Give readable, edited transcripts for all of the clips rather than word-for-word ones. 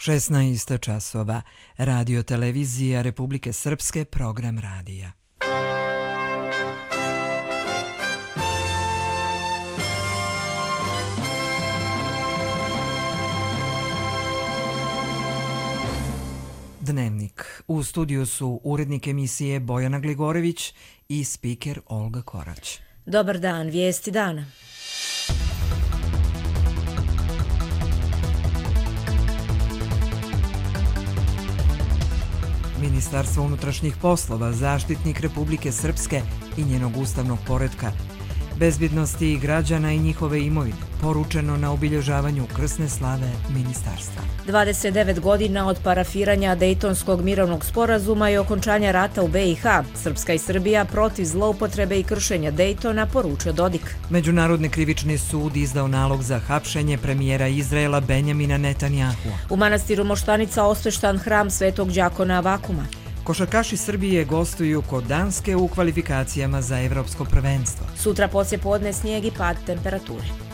16 časova. Radio televizija Republike Srpske, program radija. Dnevnik. U studiju su urednik emisije Bojana Gligorević i spiker Olga Korać. Dobar dan, vijesti dana. Ministarstvo unutrašnjih poslova, zaštitnik Republike Srpske i njenog ustavnog poretka, bezbjednosti građana i njihove imovine, poručeno na obilježavanju krsne slave ministarstva. 29 godina od parafiranja Dejtonskog mirovnog sporazuma i okončanja rata u BiH, Srpska i Srbija protiv zloupotrebe i kršenja Dejtona, poručio Dodik. Međunarodni krivični sud izdao nalog za hapšenje premijera Izraela Benjamina Netanjahua. U manastiru Moštanica osveštan hram Svetog đakona Avakuma. Košarkaši Srbije gostuju kod Danske u kvalifikacijama za evropsko prvenstvo. Sutra poslijepodne snijeg i pad temperature.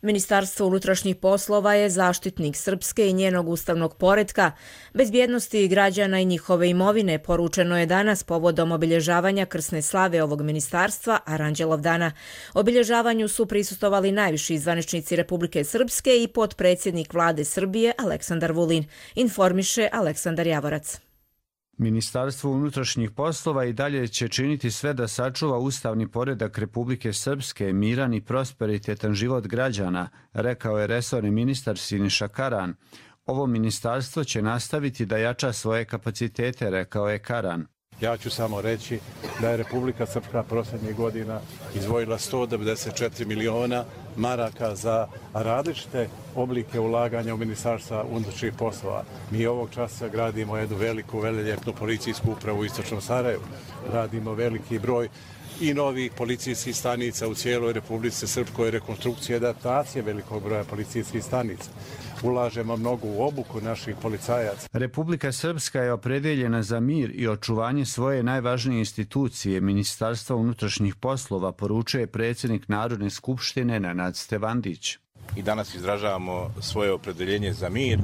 Ministarstvo unutrašnjih poslova je zaštitnik Srpske i njenog ustavnog poretka, bezbjednosti građana i njihove imovine, poručeno je danas povodom obilježavanja krsne slave ovog ministarstva, Aranđelov dana. Obilježavanju su prisustvovali najviši zvaničnici Republike Srpske i potpredsjednik vlade Srbije Aleksandar Vulin, informiše Aleksandar Javorac. Ministarstvo unutrašnjih poslova i dalje će činiti sve da sačuva ustavni poredak Republike Srpske, miran i prosperitetan život građana, rekao je resorni ministar Siniša Karan. Ovo ministarstvo će nastaviti da jača svoje kapacitete, rekao je Karan. Ja ću samo reći da je Republika Srpska prošlih godina izdvojila 194 miliona maraka za različite oblike ulaganja u Ministarstva unutrašnjih poslova. Mi ovog časa gradimo jednu veliku, veleljepnu policijsku upravu u Istočnom Sarajevu. Radimo veliki broj i novih policijskih stanica u cijeloj Republici Srpskoj, rekonstrukcije i adaptacije velikog broja policijskih stanica. Ulažemo mnogo u obuku naših policajaca. Republika Srpska je opredjeljena za mir i očuvanje svoje najvažnije institucije, Ministarstva unutrašnjih poslova, poručuje predsjednik Narodne skupštine Nenad Stevandić. I danas izražavamo svoje opredjeljenje za mir,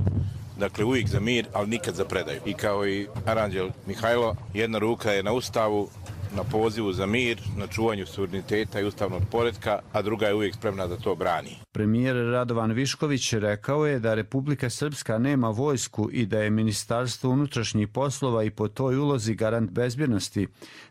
dakle uvijek za mir, ali nikad za predaju. I kao i Aranđel Mihajlo, jedna ruka je na Ustavu, na pozivu za mir, na čuvanju suvereniteta i ustavnog poretka, a druga je uvijek spremna da to brani. Premijer Radovan Višković rekao je da Republika Srpska nema vojsku i da je Ministarstvo unutrašnjih poslova i po toj ulozi garant bezbjednosti,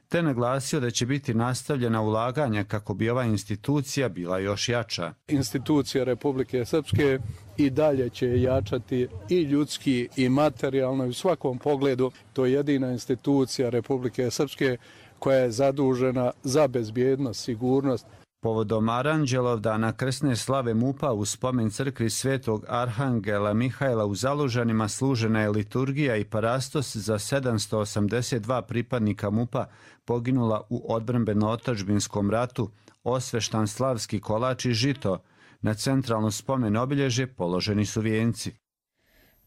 te naglasio da će biti nastavljena ulaganja kako bi ova institucija bila još jača. Institucija Republike Srpske i dalje će jačati i ljudski i materijalno i u svakom pogledu. To je jedina institucija Republike Srpske koja je zadužena za bezbjednost, sigurnost. Povodom Aranđelov dana krsne slave MUP-a u spomen crkvi Svetog Arhangela Mihajla u Zalužanima služena je liturgija i parastos za 782 pripadnika MUP-a poginula u odbrambeno-otadžbinskom ratu, osveštan slavski kolač i žito. Na centralno spomen obilježje položeni su vijenci.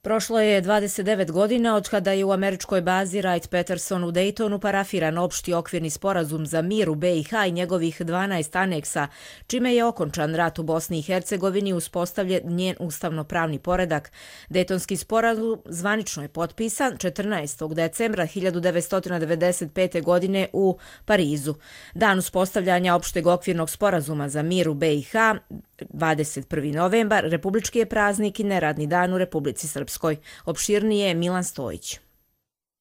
Prošlo je 29 godina od kada je u američkoj bazi Wright-Patterson u Daytonu parafiran opšti okvirni sporazum za mir u BiH i njegovih 12 aneksa, čime je okončan rat u Bosni i Hercegovini i uspostavljen njen ustavno-pravni poredak. Dejtonski sporazum zvanično je potpisan 14. decembra 1995. godine u Parizu. Dan uspostavljanja opšteg okvirnog sporazuma za mir u BiH, 21. novembar, republički je praznik i neradni dan u Republici Srpskoj. Opširnije Milan Stojić.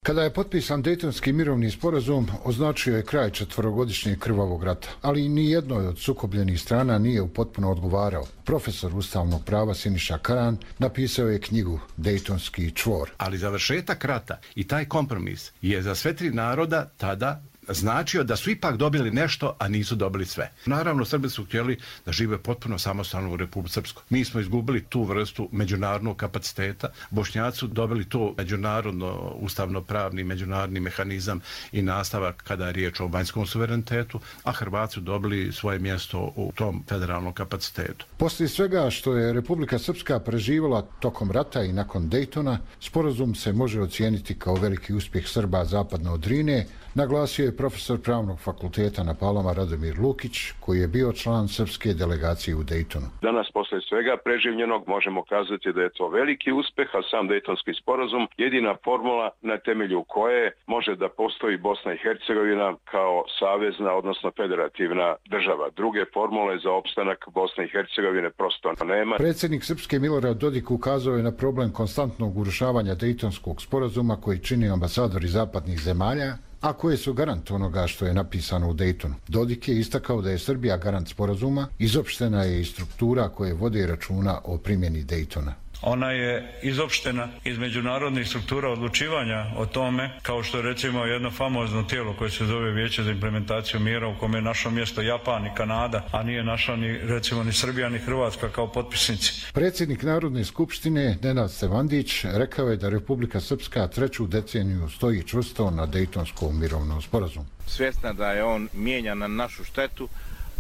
Kada je potpisan Dejtonski mirovni sporazum, označio je kraj četvorogodišnjeg krvavog rata, ali ni jednoj od sukobljenih strana nije u potpuno odgovarao. Profesor ustavnog prava Siniša Karan napisao je knjigu Dejtonski čvor. Ali završetak rata i taj kompromis je za sve tri naroda tada značio da su ipak dobili nešto, a nisu dobili sve. Naravno, Srbi su htjeli da žive potpuno samostalno u Republici Srpskoj. Mi smo izgubili tu vrstu međunarodnog kapaciteta. Bošnjaci su dobili to međunarodno, ustavno-pravni, međunarodni mehanizam i nastavak kada je riječ o vanjskom suverenitetu, a Hrvati su dobili svoje mjesto u tom federalnom kapacitetu. Poslije svega što je Republika Srpska preživala tokom rata i nakon Dejtona, sporazum se može ocijeniti kao veliki uspjeh Srba zapadno od Drine, naglasio je je profesor Pravnog fakulteta na Palama Radomir Lukić, koji je bio član srpske delegacije u Dejtonu. Danas, posle svega preživljenog, možemo kazati da je to veliki uspeh, a sam Dejtonski sporazum jedina formula na temelju koje može da postoji Bosna i Hercegovina kao savezna, odnosno federativna država. Druge formule za opstanak Bosne i Hercegovine prosto nema. Predsjednik Srpske Milorad Dodik ukazao je na problem konstantnog urušavanja Dejtonskog sporazuma koji čini ambasadori zapadnih zemalja, a koje su garant onoga što je napisano u Dejtonu. Dodik je istakao da je Srbija garant sporazuma, izopštena je i struktura koje vode računa o primjeni Dejtona. Ona je izopštena iz međunarodnih struktura odlučivanja o tome, kao što je recimo jedno famozno tijelo koje se zove Vijeće za implementaciju mira, u kome je našlo mjesto Japan i Kanada, a nije našla ni recimo ni Srbija ni Hrvatska kao potpisnici. Predsjednik Narodne skupštine Nenad Stevandić rekao je da Republika Srpska 3. deceniju stoji čvrsto na Dejtonskom mirovnom sporazumu. Svjesna da je on mijenjan na našu štetu,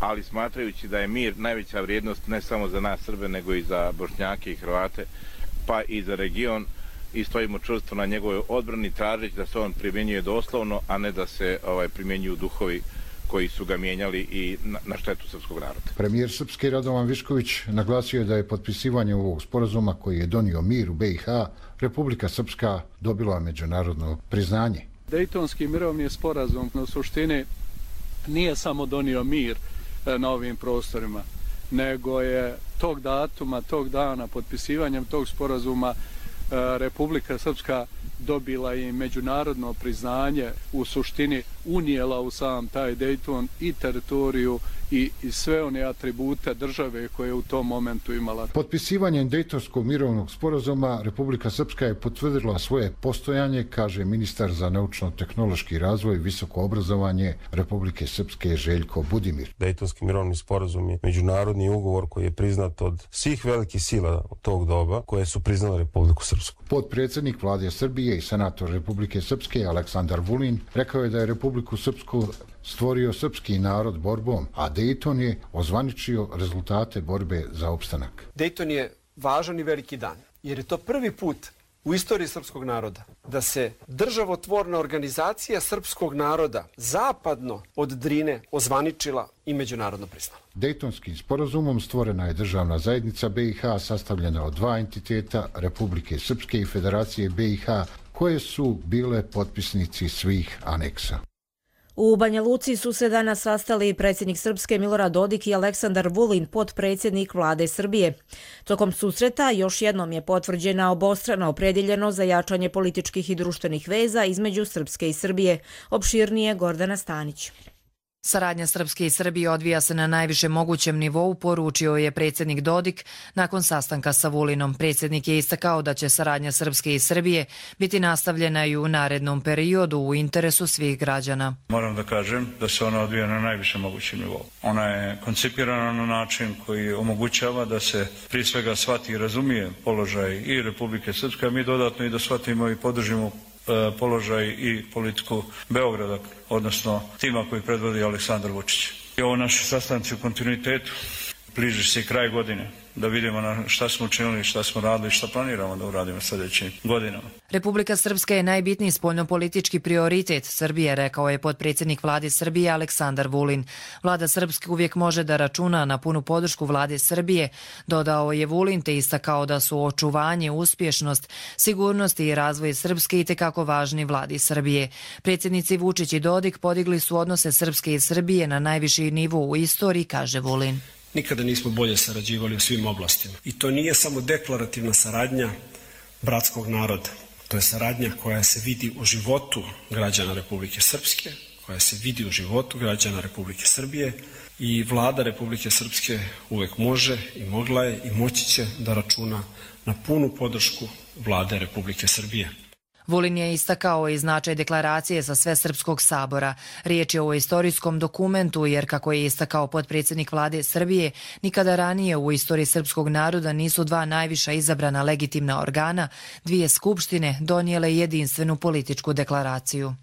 ali smatrajući da je mir najveća vrijednost ne samo za nas Srbe, nego i za Bošnjake i Hrvate, pa i za region, i stojimo čvrsto na njegovoj odbrani, tražeći da se on primjenjuje doslovno, a ne da se primjenjuju duhovi koji su ga mijenjali i na štetu srpskog naroda. Premijer Srpske Radovan Višković naglasio je da je potpisivanje ovog sporazuma koji je donio mir u BiH, Republika Srpska dobila međunarodno priznanje. Dejtonski mirovni sporazum u suštini nije samo donio mir na ovim prostorima, nego je tog datuma, tog dana, potpisivanjem tog sporazuma Republika Srpska dobila i međunarodno priznanje, u suštini unijela u sam taj Dejton i teritoriju i sve one atribute države koje je u tom momentu imala. Potpisivanjem Dejtonskog mirovnog sporazuma Republika Srpska je potvrdila svoje postojanje, kaže ministar za naučno-tehnološki razvoj i visoko obrazovanje Republike Srpske Željko Budimir. Dejtonski mirovni sporazum je međunarodni ugovor koji je priznat od svih velikih sila tog doba koje su priznale Republiku Srpsku. Potpredsjednik vlade Srbije i senator Republike Srpske Aleksandar Vulin rekao je da je Republiku Srpsku stvorio srpski narod borbom, a Dejton je ozvaničio rezultate borbe za opstanak. Dejton je važan i veliki dan, jer je to prvi put u istoriji srpskog naroda da se državotvorna organizacija srpskog naroda zapadno od Drine ozvaničila i međunarodno priznala. Dejtonskim sporazumom stvorena je državna zajednica BiH sastavljena od dva entiteta, Republike Srpske i Federacije BiH, koje su bile potpisnici svih aneksa. U Banja Luci su se danas sastali predsjednik Srpske Milorad Dodik i Aleksandar Vulin, potpredsjednik vlade Srbije. Tokom susreta još jednom je potvrđena obostrana opredjeljenost za jačanje političkih i društvenih veza između Srpske i Srbije. Opširnije Gordana Stanić. Saradnja Srpske i Srbije odvija se na najvišem mogućem nivou, poručio je predsjednik Dodik nakon sastanka sa Vulinom. Predsjednik je istakao da će saradnja Srpske i Srbije biti nastavljena i u narednom periodu u interesu svih građana. Moram da kažem da se ona odvija na najvišem mogućem nivou. Ona je koncipirana na način koji omogućava da se prije svega shvati i razumije položaj i Republike Srpske, a mi dodatno i da shvatimo i podržimo položaj i politiku Beograda, odnosno tima koji predvodi Aleksandar Vučić. I ovo naši sastanci u kontinuitetu, bliži se i kraj godine, da vidimo na šta smo učinili, šta smo radili, šta planiramo da uradimo sljedećim godinama. Republika Srpska je najbitniji spoljnopolitički prioritet Srbije, rekao je potpredsjednik vlade Srbije Aleksandar Vulin. Vlada Srpske uvijek može da računa na punu podršku vlade Srbije, dodao je Vulin, te istakao da su očuvanje, uspješnost, sigurnost i razvoj Srpske itekako važni vladi Srbije. Predsjednici Vučić i Dodik podigli su odnose Srpske i Srbije na najviši nivo u istoriji, kaže Vulin. Nikada nismo bolje sarađivali u svim oblastima. I to nije samo deklarativna saradnja bratskog naroda. To je saradnja koja se vidi u životu građana Republike Srpske, koja se vidi u životu građana Republike Srbije i vlada Republike Srpske uvek može i mogla je i moći će da računa na punu podršku vlade Republike Srbije. Vulin je istakao i značaj deklaracije za sve Srpskog sabora. Riječ je o istorijskom dokumentu jer, kako je istakao potpredsjednik vlade Srbije, nikada ranije u istoriji srpskog naroda nisu dva najviša izabrana legitimna organa, dvije skupštine, donijele jedinstvenu političku deklaraciju.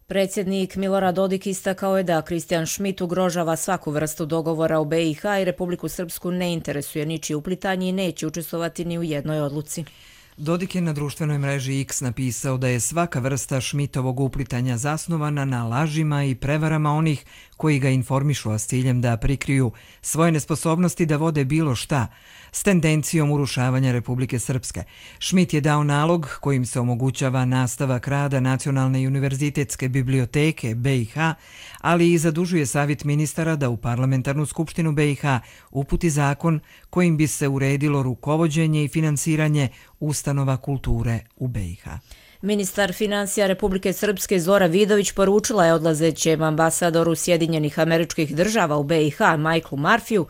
Predsjednik Milorad Dodik istakao je da Kristijan Šmit ugrožava svaku vrstu dogovora u BiH i Republiku Srpsku ne interesuje ničije uplitanje i neće učestvovati ni u jednoj odluci. Dodik je na društvenoj mreži X napisao da je svaka vrsta Šmitovog uplitanja zasnovana na lažima i prevarama onih koji ga informišu, a s ciljem da prikriju svoje nesposobnosti da vode bilo šta, s tendencijom urušavanja Republike Srpske. Šmit je dao nalog kojim se omogućava nastavak rada Nacionalne i univerzitetske biblioteke BiH, ali i zadužuje Savjet ministara da u Parlamentarnu skupštinu BiH uputi zakon kojim bi se uredilo rukovođenje i finansiranje ustanova kulture u BiH. Ministar financija Republike Srpske Zora Vidović poručila je odlazećem ambasadoru Sjedinjenih Američkih Država u BiH Michaelu Murphyju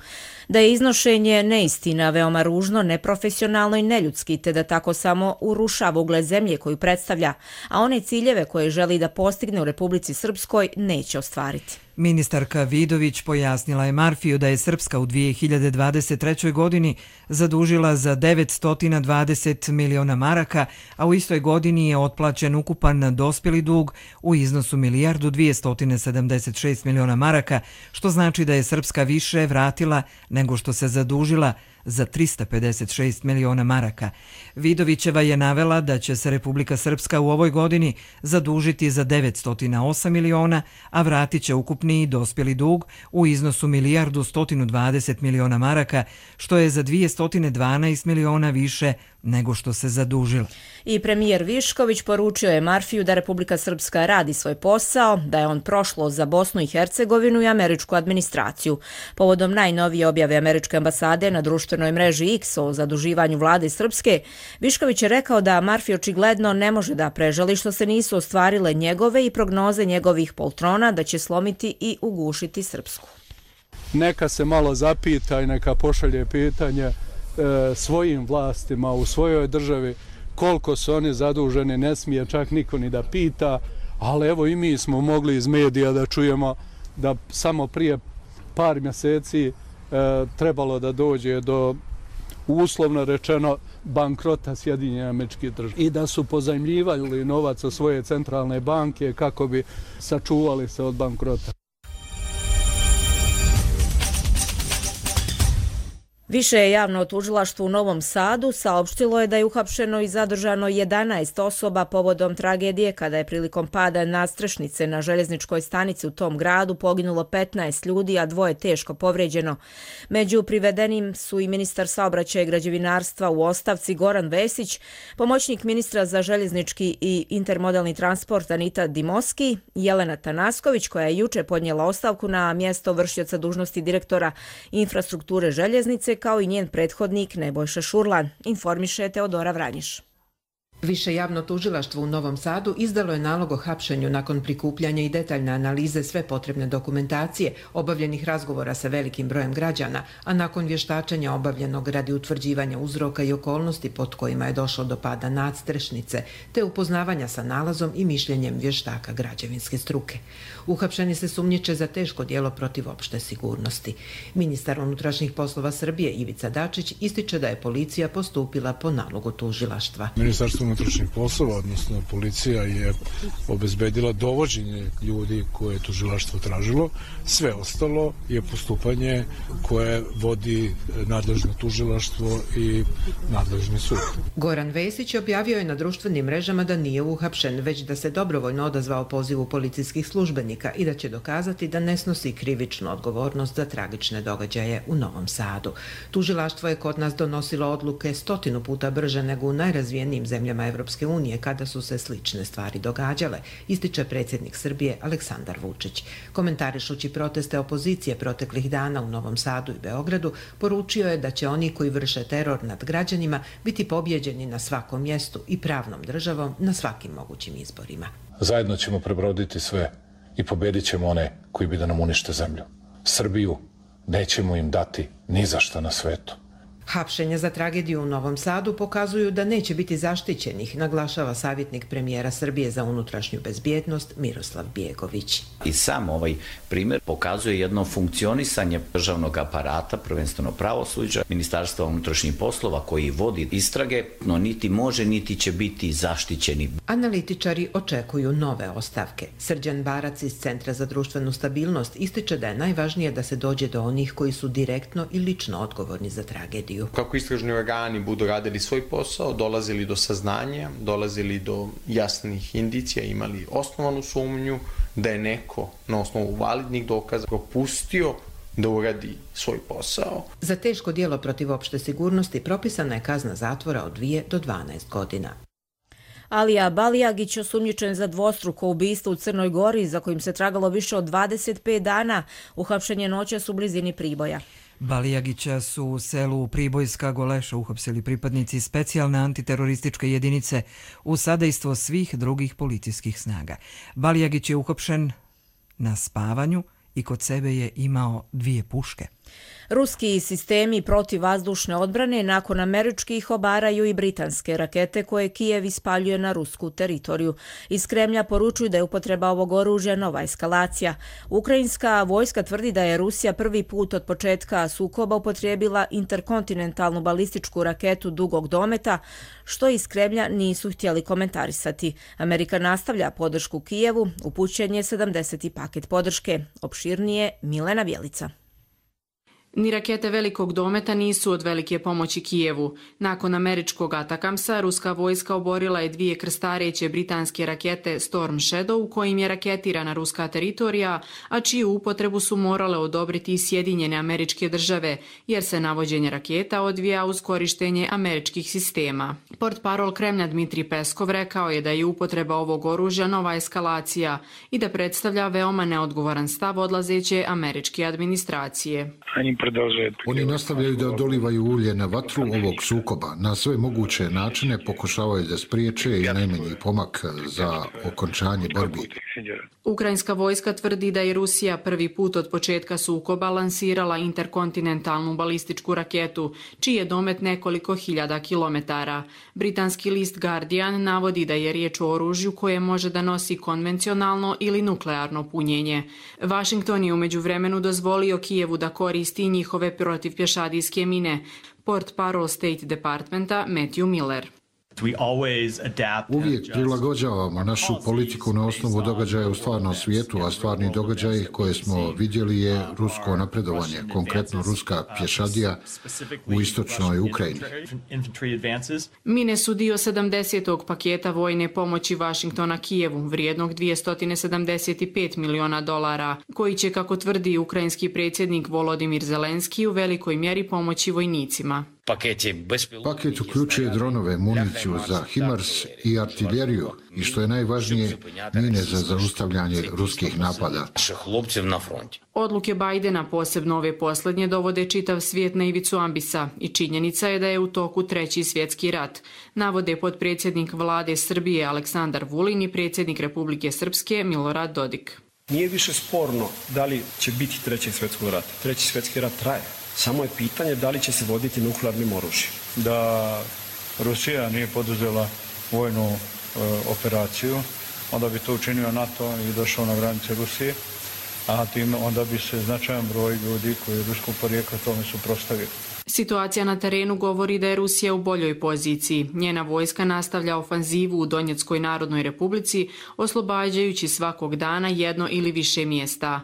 da je iznošenje neistina veoma ružno, neprofesionalno i neljudski, te da tako samo urušava ugled zemlje koju predstavlja, a one ciljeve koje želi da postigne u Republici Srpskoj neće ostvariti. Ministarka Vidović pojasnila je Murphyju da je Srpska u 2023. godini zadužila za 920 miliona maraka, a u istoj godini je otplaćen ukupan dospjeli dug u iznosu 1.276 miliona maraka, što znači da je Srpska više vratila nego što se zadužila za 356 miliona maraka. Vidovićeva je navela da će se Republika Srpska u ovoj godini zadužiti za 908 miliona, a vratit će ukupni dospjeli dug u iznosu 1.120 miliona maraka, što je za 212 miliona više nego što se zadužila. I premijer Višković poručio je Murphyju da Republika Srpska radi svoj posao, da je on prošlo za Bosnu i Hercegovinu i američku administraciju. Povodom najnovije objave američke ambasade na društvenoj mreži X o zaduživanju vlade Srpske, Višković je rekao da Murphy očigledno ne može da prežali što se nisu ostvarile njegove i prognoze njegovih poltrona da će slomiti i ugušiti Srpsku. Neka se malo zapita i neka pošalje pitanje svojim vlastima u svojoj državi koliko su oni zaduženi, ne smije čak niko ni da pita, ali evo i mi smo mogli iz medija da čujemo da samo prije par mjeseci trebalo da dođe do, uslovno rečeno, bankrota Sjedinjenih Američkih Država i da su pozajmljivali novac od svoje centralne banke kako bi sačuvali se od bankrota. Više je javno tužilaštvo u Novom Sadu saopštilo je da je uhapšeno i zadržano 11 osoba povodom tragedije kada je prilikom pada nadstrešnice na željezničkoj stanici u tom gradu poginulo 15 ljudi, a 2 teško povređeno. Među privedenim su i ministar saobraćaja i građevinarstva u ostavci Goran Vesić, pomoćnik ministra za željeznički i intermodalni transport Anita Dimoski, Jelena Tanasković koja je juče podnijela ostavku na mjesto vršioca dužnosti direktora infrastrukture željeznice, kao i njen prethodnik Nebojša Šurlan, informiše Teodora Vranjiš. Više javno tužilaštvo u Novom Sadu izdalo je nalog o hapšenju nakon prikupljanja i detaljne analize sve potrebne dokumentacije, obavljenih razgovora sa velikim brojem građana, a nakon vještačenja obavljenog radi utvrđivanja uzroka i okolnosti pod kojima je došlo do pada nadstrešnice, te upoznavanja sa nalazom i mišljenjem vještaka građevinske struke. Uhapšeni se sumnjiče za teško djelo protiv opšte sigurnosti. Ministar unutrašnjih poslova Srbije Ivica Dačić ističe da je policija postupila po nalogu tužilaštva. Ministarstvo unutrašnjih poslova, odnosno policija, je obezbedila dovođenje ljudi koje je tužilaštvo tražilo. Sve ostalo je postupanje koje vodi nadležno tužilaštvo i nadležni sud. Goran Vesić objavio je na društvenim mrežama da nije uhapšen, već da se dobrovoljno odazvao pozivu policijskih službenika i da će dokazati da ne snosi krivičnu odgovornost za tragične događaje u Novom Sadu. Tužilaštvo je kod nas donosilo odluke 100 puta brže nego u najrazvijenijim zemljama Evropske unije kada su se slične stvari događale, ističe predsjednik Srbije Aleksandar Vučić. Komentarišući proteste opozicije proteklih dana u Novom Sadu i Beogradu, poručio je da će oni koji vrše teror nad građanima biti pobjeđeni na svakom mjestu i pravnom državom na svakim mogućim izborima. Zajedno ćemo prebroditi sve i pobjedit ćemo one koji bi da nam unište zemlju. Srbiju nećemo im dati ni za šta na svetu. Hapšenja za tragediju u Novom Sadu pokazuju da neće biti zaštićenih, naglašava savjetnik premijera Srbije za unutrašnju bezbjednost Miroslav Bjegović. I sam ovaj primjer pokazuje jedno funkcionisanje državnog aparata, prvenstveno pravosuđa, Ministarstva unutrašnjih poslova koji vodi istrage, no niti može niti će biti zaštićeni. Analitičari očekuju nove ostavke. Srđan Barac iz Centra za društvenu stabilnost ističe da je najvažnije da se dođe do onih koji su direktno i lično odgovorni za tragediju. policiju. Kako istražni organi budu radili svoj posao, dolazili do saznanja, dolazili do jasnih indicija, imali osnovanu sumnju da je neko na osnovu validnih dokaza propustio da uradi svoj posao. Za teško djelo protiv opšte sigurnosti propisana je kazna zatvora od 2 do 12 godina. Alija Balijagić, osumnjičen za dvostruko ubistvo u Crnoj Gori, za kojim se tragalo više od 25 dana, uhapšen je noćas u blizini Priboja. Balijagića su u selu Pribojska Goleša uhapsili pripadnici specijalne antiterorističke jedinice u sadejstvo svih drugih policijskih snaga. Balijagić je uhapšen na spavanju i kod sebe je imao 2 puške. Ruski sistemi protivvazdušne odbrane nakon američkih obaraju i britanske rakete koje Kijev ispaljuje na rusku teritoriju. Iz Kremlja poručuju da je upotreba ovog oružja nova eskalacija. Ukrajinska vojska tvrdi da je Rusija prvi put od početka sukoba upotrijebila interkontinentalnu balističku raketu dugog dometa, što iz Kremlja nisu htjeli komentarisati. Amerika nastavlja podršku Kijevu, upućen je 70. paket podrške. Opširnije Milena Bjelica. Ni rakete velikog dometa nisu od velike pomoći Kijevu. Nakon američkog Atakamsa, ruska vojska oborila je 2 krstareće britanske rakete Storm Shadow, kojim je raketirana ruska teritorija, a čiju upotrebu su morale odobriti i Sjedinjene Američke Države, jer se navođenje raketa odvija uz korištenje američkih sistema. Portparol Kremlja Dmitrij Peskov rekao je da je upotreba ovog oružja nova eskalacija i da predstavlja veoma neodgovoran stav odlazeće američke administracije. Oni nastavljaju da dolivaju ulje na vatru ovog sukoba. Na sve moguće načine pokušavaju da spriječe i najmanji pomak za okončanje borbi. Ukrajinska vojska tvrdi da je Rusija prvi put od početka sukoba lansirala interkontinentalnu balističku raketu, čiji je domet nekoliko hiljada kilometara. Britanski list Guardian navodi da je riječ o oružju koje može da nosi konvencionalno ili nuklearno punjenje. Washington je u međuvremenu dozvolio Kijevu da koristi njihove protivpješadijske mine, portparol State Departmenta Matthew Miller. Uvijek prilagođavamo našu politiku na osnovu događaja u stvarnom svijetu, a stvarni događaj koje smo vidjeli je rusko napredovanje, konkretno ruska pješadija u istočnoj Ukrajini. Mine su dio 70. paketa vojne pomoći Washingtona Kijevu, vrijednog $275 miliona, koji će, kako tvrdi ukrajinski predsjednik Volodimir Zelenski, u velikoj mjeri pomoći vojnicima. Paket uključuje dronove, municiju za HIMARS i artiljeriju i, što je najvažnije, mine za zaustavljanje ruskih napada. Odluke Bajdena, posebno ove posljednje, dovode čitav svijet na ivicu ambisa i činjenica je da je u toku 3. svjetski rat, navode potpredsjednik vlade Srbije Aleksandar Vulin i predsjednik Republike Srpske Milorad Dodik. Nije više sporno da li će biti 3. svjetskog rata. 3. svjetski rat traje. Samo je pitanje da li će se voditi nuklearnim oružjem. Da Rusija nije poduzela vojnu operaciju, onda bi to učinio NATO i došao na granice Rusije, a tim onda bi se značajan broj ljudi koji je ruskog porijekla tome suprotstavili. Situacija na terenu govori da je Rusija u boljoj poziciji. Njena vojska nastavlja ofanzivu u Donjeckoj Narodnoj Republici, oslobađajući svakog dana jedno ili više mjesta.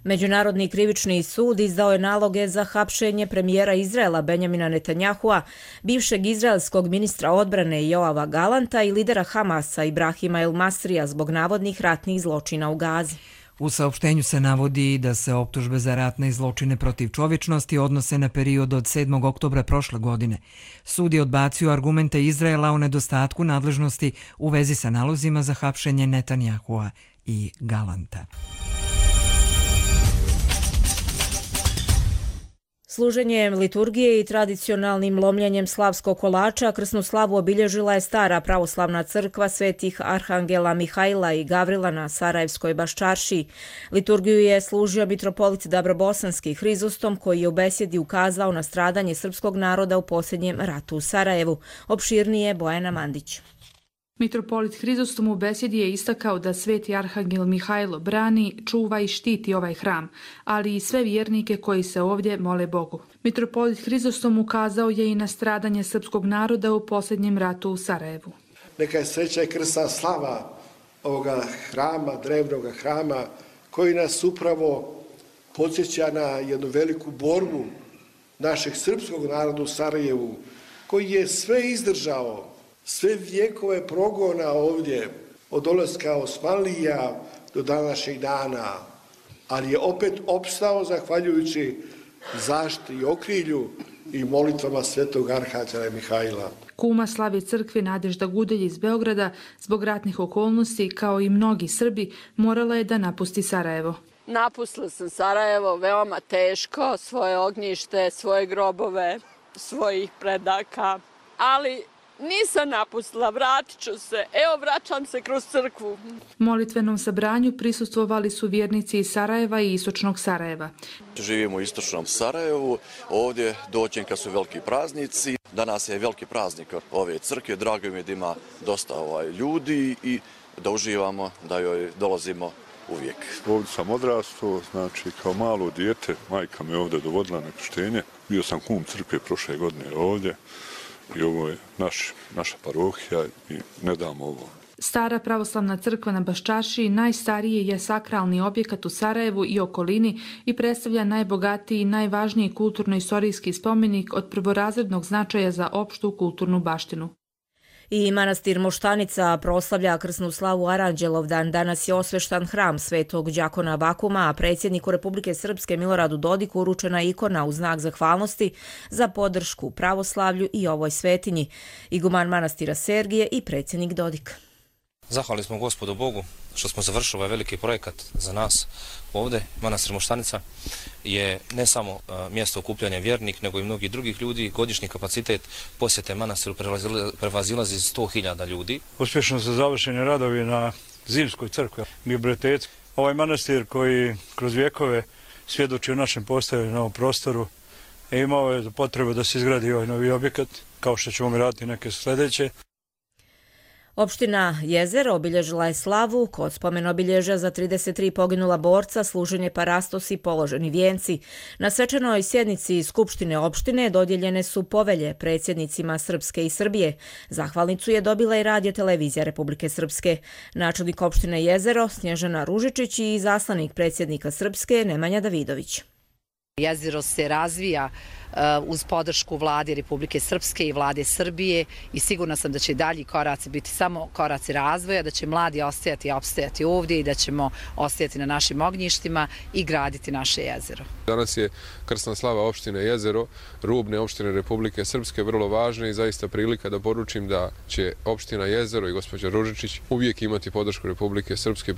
Međunarodni krivični sud izdao je naloge za hapšenje premijera Izraela Benjamina Netanjahua, bivšeg izraelskog ministra odbrane Joava Galanta i lidera Hamasa Ibrahima El Masrija zbog navodnih ratnih zločina u Gazi. U saopštenju se navodi da se optužbe za ratne zločine protiv čovječnosti odnose na period od 7. oktobra prošle godine. Sud je odbacio argumente Izraela o nedostatku nadležnosti u vezi sa nalozima za hapšenje Netanjahua i Galanta. Služenjem liturgije i tradicionalnim lomljenjem slavskog kolača krsnu slavu obilježila je stara pravoslavna crkva svetih Arhangela Mihajla i Gavrila na Sarajevskoj Baščaršiji. Liturgiju je služio mitropolit Dabrobosanski Hrizostom, koji je u besjedi ukazao na stradanje srpskog naroda u posljednjem ratu u Sarajevu. Opširnije Bojana Mandić. Mitropolit Hrizostom u besjedi je istakao da sveti Arhangel Mihajlo brani, čuva i štiti ovaj hram, ali i sve vjernike koji se ovdje mole Bogu. Mitropolit Hrizostom ukazao je i na stradanje srpskog naroda u posljednjem ratu u Sarajevu. Neka je sreća i krsna slava ovoga hrama, drevnog hrama, koji nas upravo podsjeća na jednu veliku borbu našeg srpskog naroda u Sarajevu, koji je sve izdržao, sve vjekove progona ovdje, od dolaska Osmanlija do današnjeg dana, ali je opet opstao zahvaljujući zaštiti i okrilju i molitvama svetog arhanđela Mihajla. Kuma slave crkve Nadežda Gudelj iz Beograda zbog ratnih okolnosti, kao i mnogi Srbi, morala je da napusti Sarajevo. Napustila sam Sarajevo veoma teško, svoje ognjište, svoje grobove, svojih predaka, ali nisam napustila, vratit ću se. Evo, vraćam se kroz crkvu. Molitvenom sabranju prisustvovali su vjernici iz Sarajeva i istočnog Sarajeva. Živimo u istočnom Sarajevu, ovdje dođem kad su veliki praznici. Danas je veliki praznik ove crkve, drago mi je da ima dosta ljudi i da uživamo, da joj dolazimo uvijek. Ovdje sam odrastao, znači kao malo dijete, majka me ovdje dovodila na krštenje. Bio sam kum crkve prošle godine ovdje i ovo je naša parohija i ne damo ovo. Stara pravoslavna crkva na Baščašiji najstariji je sakralni objekat u Sarajevu i okolini i predstavlja najbogatiji i najvažniji kulturno-istorijski spomenik od prvorazrednog značaja za opštu kulturnu baštinu. I manastir Moštanica proslavlja krsnu slavu Aranđelovdan. Danas je osveštan hram svetog đakona Vakuma, a predsjedniku Republike Srpske Miloradu Dodiku uručena ikona u znak zahvalnosti za podršku pravoslavlju i ovoj svetinji. Iguman manastira Sergije i predsjednik Dodik. Zahvalni smo Gospodu Bogu što smo završili ovaj veliki projekat za nas ovdje. Manastir Moštanica je ne samo mjesto okupljanja vjernik, nego i mnogih drugih ljudi. Godišnji kapacitet posjete manastiru prevazilazi 100.000 ljudi. Uspješno su završeni radovi na zimskoj crkvi biblioteci. Ovaj manastir koji kroz vjekove svjedoči o našem postojanju na ovom prostoru imao je potrebu da se izgradi ovaj novi objekat, kao što ćemo raditi neke sljedeće. Opština Jezero obilježila je slavu kod spomen obilježja za 33 poginula borca, služenje parastos i položeni vijenci. Na svečanoj sjednici Skupštine opštine dodijeljene su povelje predsjednicima Srpske i Srbije. Zahvalnicu je dobila i Radio televizija Republike Srpske. Načelnik opštine Jezero Snježana Ružičić i izaslanik predsjednika Srpske Nemanja Davidović. Jezero se razvija uz podršku vlade Republike Srpske i vlade Srbije i sigurna sam da će dalji koraci biti samo koraci razvoja, da će mladi ostajati i opstajati ovdje i da ćemo ostajati na našim ognjištima i graditi naše jezero. Danas je krsna slava opštine Jezero, rubne opštine Republike Srpske, vrlo važne i zaista prilika da poručim da će opština Jezero i gospođa Ružičić uvijek imati podršku Republike Srpske.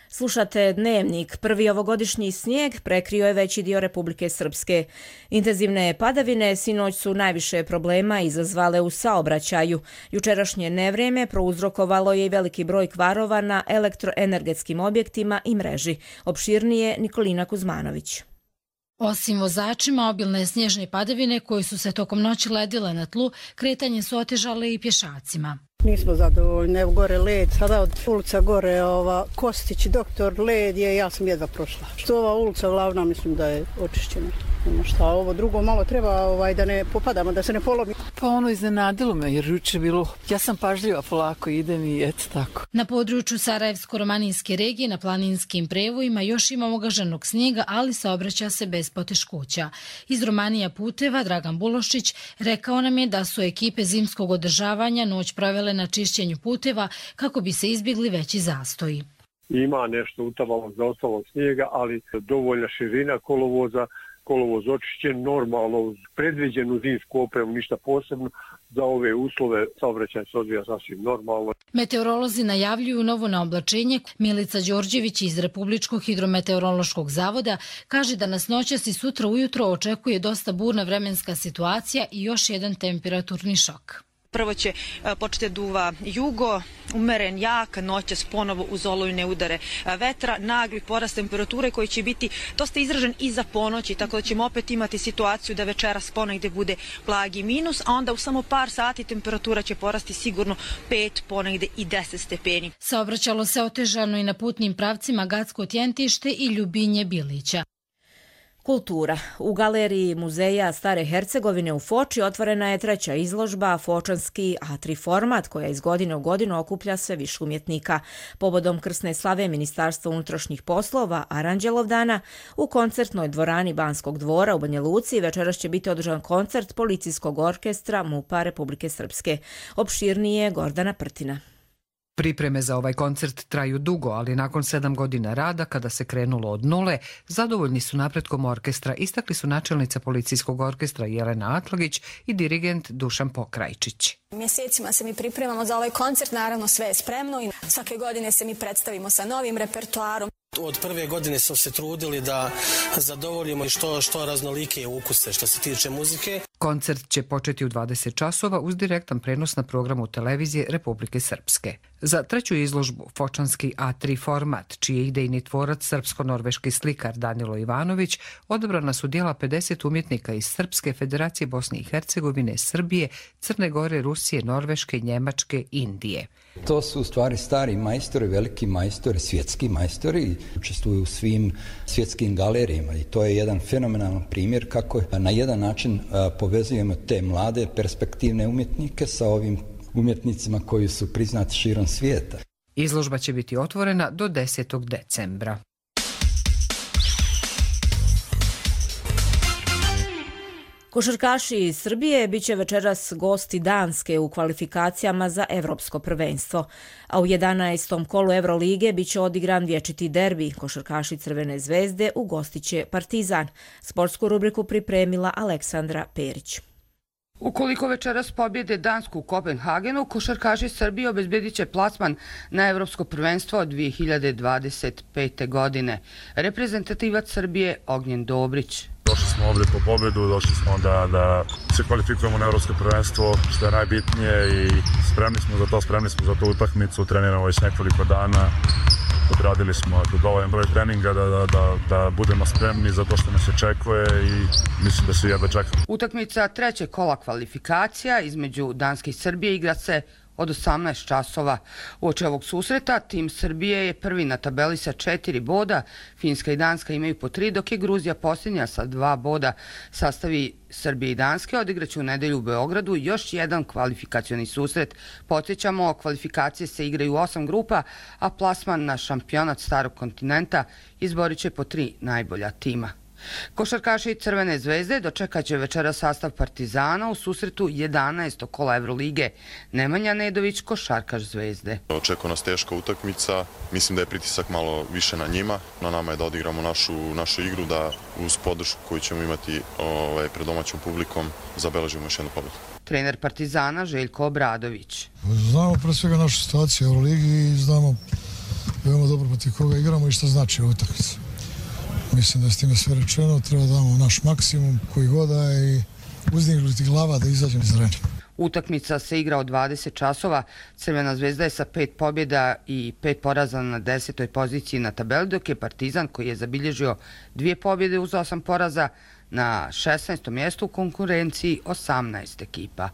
Slušate Dnevnik. Prvi ovogodišnji snijeg prekrio je veći dio Republike Srpske. Intenzivne padavine sinoć su najviše problema izazvale u saobraćaju. Jučerašnje nevrijeme prouzrokovalo je i veliki broj kvarova na elektroenergetskim objektima i mreži. Opširnije Nikolina Kuzmanović. Osim vozačima, obilne snježne padavine koje su se tokom noći ledile na tlu, kretanje su otežale i pješacima. Nismo zadovoljni, evo gore led, sada od ulica gore Kostić, doktor led je, ja sam jedva prošla. Što ova ulica glavna, mislim da je očišćena. Šta ovo drugo malo treba da ne popadamo, da se ne polomi. Pa ono iznenadilo me jer juče bilo, ja sam pažljiva, polako idem i eto tako. Na području Sarajevsko-romaninske regije na planinskim prevojima još ima ogaženog snijega, ali saobraća se bez poteškoća. Iz Romanija puteva Dragan Bulošić rekao nam je da su ekipe zimskog održavanja noć provele na čišćenju puteva kako bi se izbjegli veći zastoji. Ima nešto utavalog zaostalog snijega, ali dovoljna širina kolovoza, kolovoz očišćen, normalno uz predviđenu zimsku opremu, ništa posebno. Za ove uslove saobraćaj se odvija sasvim normalno. Meteorolozi najavljuju novo naoblačenje. Milica Đorđević iz Republičkog hidrometeorološkog zavoda kaže da nas noćas i sutra ujutro očekuje dosta burna vremenska situacija i još jedan temperaturni šok. Prvo će početi duva jugo, umeren jak, noćas ponovo uz olujne udare vetra, nagli porast temperature koji će biti dosta izražen i za ponoći, tako da ćemo opet imati situaciju da večeras ponegde bude blagi minus, a onda u samo par sati temperatura će porasti sigurno 5, ponegde i 10 stepeni. Saobraćalo se otežano i na putnim pravcima Gacko-Tjentište i Ljubinje-Bilića. Kultura. U galeriji Muzeja Stare Hercegovine u Foči otvorena je treća izložba Fočanski A3 format koja iz godine u godinu okuplja sve više umjetnika. Povodom krsne slave Ministarstva unutrašnjih poslova Aranđelovdana u koncertnoj dvorani Banskog dvora u Banja Luci večeras će biti održan koncert Policijskog orkestra MUP-a Republike Srpske. Opširnije Gordana Prtina. Pripreme za ovaj koncert traju dugo, ali nakon 7 godina rada, kada se krenulo od nule, zadovoljni su napretkom orkestra, istakli su načelnica Policijskog orkestra Jelena Atlagić i dirigent Dušan Pokrajčić. Mjesecima se mi pripremamo za ovaj koncert, naravno sve je spremno i svake godine se mi predstavimo sa novim repertoarom. Od prve godine smo se trudili da zadovoljimo što raznolike ukuse što se tiče muzike. Koncert će početi u 20 časova uz direktan prenos na programu televizije Republike Srpske. Za treću izložbu Fočanski A3 format, čiji je idejni tvorac srpsko-norveški slikar Danilo Ivanović, odabrana su dijela 50 umjetnika iz Srpske, Federacije Bosne i Hercegovine, Srbije, Crne Gore, Rusije, Norveške, Njemačke, Indije. To su u stvari stari majstori, veliki majstori, svjetski majstori, učestvuju u svim svjetskim galerijama i to je jedan fenomenalan primjer kako na jedan način povezujemo te mlade perspektivne umjetnike sa ovim umjetnicima koji su priznati širom svijeta. Izložba će biti otvorena do 10. decembra. Košarkaši iz Srbije biće večeras gosti Danske u kvalifikacijama za Evropsko prvenstvo, a u 11. kolu Evrolige biće odigran vječiti derbi. Košarkaši Crvene zvezde ugostiće Partizan. Sportsku rubriku pripremila Aleksandra Perić. Ukoliko večeras pobjede Dansku u Kopenhagenu, košarkaši Srbije obezbedit će plasman na Evropsko prvenstvo od 2025. godine. Reprezentativac Srbije Ognjen Dobrić. Došli smo ovdje po pobjedu, došli smo da se kvalifikujemo na Evropsko prvenstvo, što je najbitnije i spremni smo za tu utakmicu, treniramo već nekoliko dana. Odradili smo dovoljan broj treninga da budemo spremni za to što nas očekuje i mislim da se jedva čekamo. Utakmica trećeg kola kvalifikacija između Danske i Srbije igra se od 18 časova. Uoči ovog susreta tim Srbije je prvi na tabeli sa 4 boda, Finska i Danska imaju po 3, dok je Gruzija posljednja sa 2 boda. Sastavi Srbije i Danske odigraće u nedelju u Beogradu još jedan kvalifikacioni susret. Podsjećamo, kvalifikacije se igraju u 8 grupa, a plasman na šampionat Starog kontinenta izborit će po 3 najbolja tima. Košarkaši Crvene zvezde dočekat će večera sastav Partizana u susretu 11. kola Evrolige. Nemanja Nedović, košarkaš Zvezde. Očekuje nas teška utakmica, mislim da je pritisak malo više na njima. Na nama je da odigramo našu igru, da uz podršku koju ćemo imati pred domaćom publikom zabeležimo još jednu pobjedu. Trener Partizana Željko Obradović. Znamo pre svega našu situaciju u Euroligi i znamo veoma dobro protiv koga igramo i šta znači utakmica. Mislim da je s time sve rečeno, treba da damo naš maksimum koji god da je i uzdignuti glava da izađemo iz arene. Utakmica se igra od 20 časova. Crvena zvezda je sa 5 pobjeda i 5 poraza na 10. poziciji na tabeli, dok je Partizan, koji je zabilježio 2 pobjede uz 8 poraza, na 16. mjestu u konkurenciji 18 ekipa.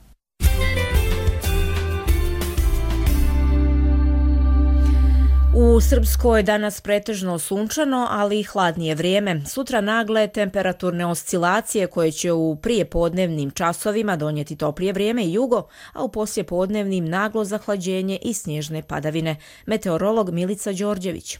U Srpskoj danas pretežno sunčano, ali i hladnije vrijeme. Sutra nagle temperaturne oscilacije koje će u prijepodnevnim časovima donijeti toplije vrijeme i jugo, a u poslijepodnevnim naglo zahlađenje i snježne padavine. Meteorolog Milica Đorđević.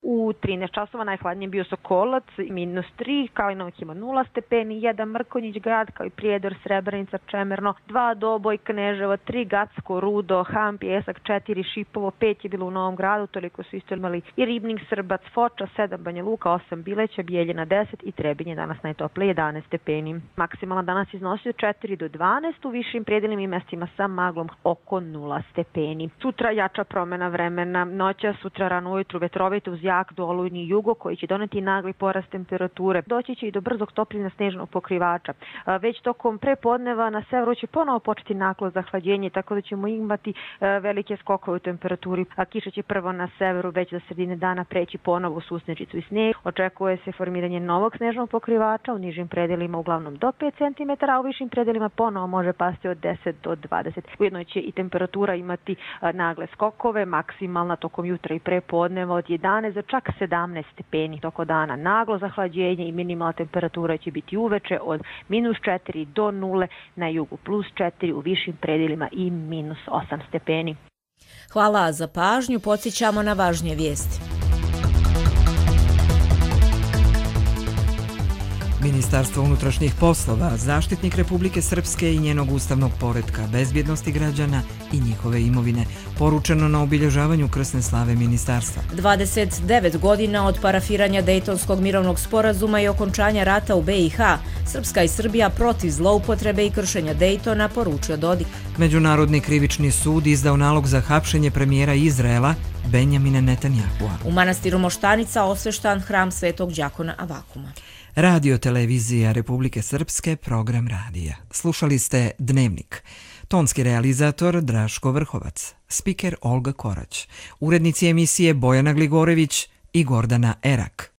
U 13 časova najhladnije bio Sokolac, -3, Kalinovih ima 0 stepeni, 1 Mrkonjić grad, kao i Prijedor, Srebrenica, Čemerno, 2 Doboj, Kneževo, 3 Gacko, Rudo, Ham, Pjesak, 4 Šipovo, 5 je bilo u Novom gradu, toliko su isto imali i Ribnik, Srbac, Foča, 7 Banja Luka, 8 Bileća, Bijeljina 10 i Trebinje danas najtoplije 11 stepeni. Maksimalna danas iznosi od 4 do 12, u višim predjelima i mestima sa maglom oko 0 stepeni. Sutra jača promjena vremena, noća sutra rano ujutru vetrovite uz jak do olujni jugo koji će doneti nagli porast temperature. Doći će i do brzog topljenja snežnog pokrivača. Već tokom prepodneva na severu će ponovo početi naglo zahlađenje, tako da ćemo imati velike skokove u temperaturi. A kiša će prvo na severu već za sredine dana preći ponovo u susnečicu i sneg. Očekuje se formiranje novog snežnog pokrivača u nižim predelima uglavnom do 5 cm, a u višim predelima ponovo može pasti od 10 do 20. Ujedno će i temperatura imati nagle skokove, maksimalna tokom jutra i prepodneva od 11 do za čak 17 stepeni toko dana. Naglo zahlađenje i minimalna temperatura će biti uveče od -4 do 0, na jugu +4, u višim predelima i -8 stepeni. Hvala za pažnju, podsjećamo na važnije vijesti. Ministarstvo unutrašnjih poslova, zaštitnik Republike Srpske i njenog ustavnog poretka, bezbjednosti građana i njihove imovine, poručeno na obilježavanju krsne slave ministarstva. 29 godina od parafiranja Dejtonskog mirovnog sporazuma i okončanja rata u BiH, Srpska i Srbija protiv zloupotrebe i kršenja Dejtona, poručio Dodik. Međunarodni krivični sud izdao nalog za hapšenje premijera Izraela Benjamina Netanjahua. U manastiru Moštanica osveštan hram Svetog đakona Avakuma. Radio televizija Republike Srpske, program radija. Slušali ste Dnevnik. Tonski realizator Draško Vrhovac, spiker Olga Korać, urednici emisije Bojana Gligorević i Gordana Erak.